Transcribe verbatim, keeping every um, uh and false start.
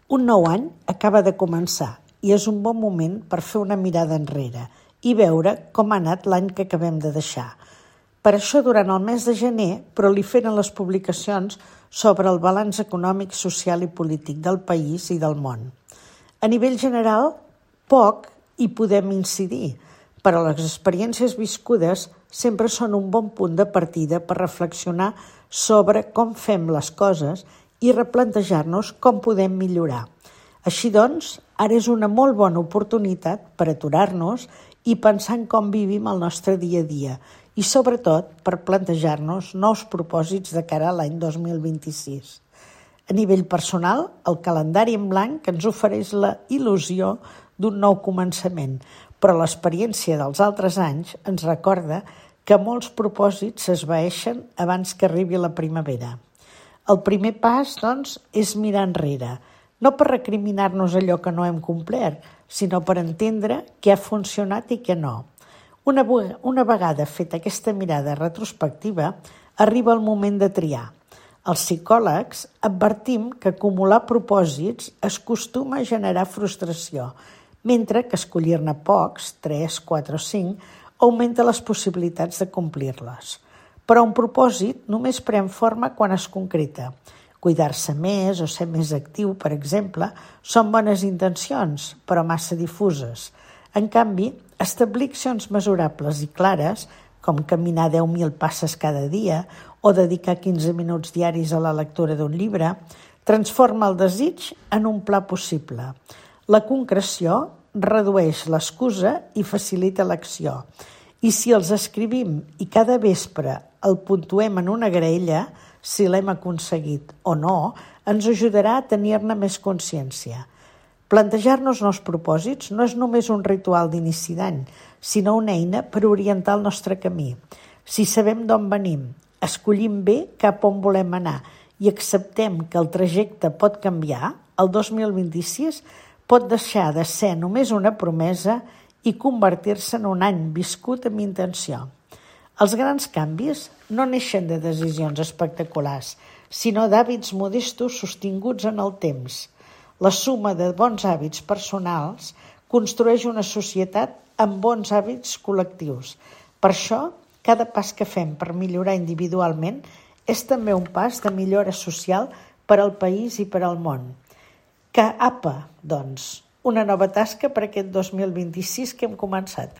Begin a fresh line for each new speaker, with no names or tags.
Un nou any acaba de començar i és un bon moment per fer una mirada enrere i veure com ha anat l'any que acabem de deixar. Per això, durant el mes de gener, proliferen les publicacions sobre el balanç econòmic, social i polític del país i del món. A nivell general, poc hi podem incidir, però les experiències viscudes sempre són un bon punt de partida per reflexionar sobre com fem les coses i replantejar-nos com podem millorar. Així doncs, ara és una molt bona oportunitat per aturar-nos i pensar en com vivim el nostre dia a dia i, sobretot, per plantejar-nos nous propòsits de cara a l'any dos mil vint-i-sis. A nivell personal, el calendari en blanc ens ofereix la il·lusió d'un nou començament, però l'experiència dels altres anys ens recorda que molts propòsits s'esvaeixen abans que arribi la primavera. El primer pas, doncs, és mirar enrere, no per recriminar-nos allò que no hem complert, sinó per entendre què ha funcionat i què no. Una, una vegada feta aquesta mirada retrospectiva, arriba el moment de triar. Els psicòlegs advertim que acumular propòsits es acostuma a generar frustració, mentre que escollir-ne pocs, tres, quatre o cinc, augmenta les possibilitats de complir-les. Però un propòsit només pren forma quan es concreta. Cuidar-se més o ser més actiu, per exemple, són bones intencions, però massa difuses. En canvi, establir accions mesurables i clares, com caminar deu mil passes cada dia o dedicar quinze minuts diaris a la lectura d'un llibre, transforma el desig en un pla possible. La concreció redueix l'excusa i facilita l'acció. I si els escrivim i cada vespre el puntuem en una graella, si l'hem aconseguit o no, ens ajudarà a tenir-ne més consciència. Plantejar-nos nous propòsits no és només un ritual d'inici d'any, sinó una eina per orientar el nostre camí. Si sabem d'on venim, escollim bé cap on volem anar i acceptem que el trajecte pot canviar, el dos mil vint-i-sis pot deixar de ser només una promesa i convertir-se en un any viscut amb intenció. Els grans canvis no neixen de decisions espectaculars, sinó d'hàbits modestos sostinguts en el temps. La suma de bons hàbits personals construeix una societat amb bons hàbits col·lectius. Per això, cada pas que fem per millorar individualment és també un pas de millora social per al país i per al món. Que apa, doncs, una nova tasca per aquest dos mil vint-i-sis que hem començat.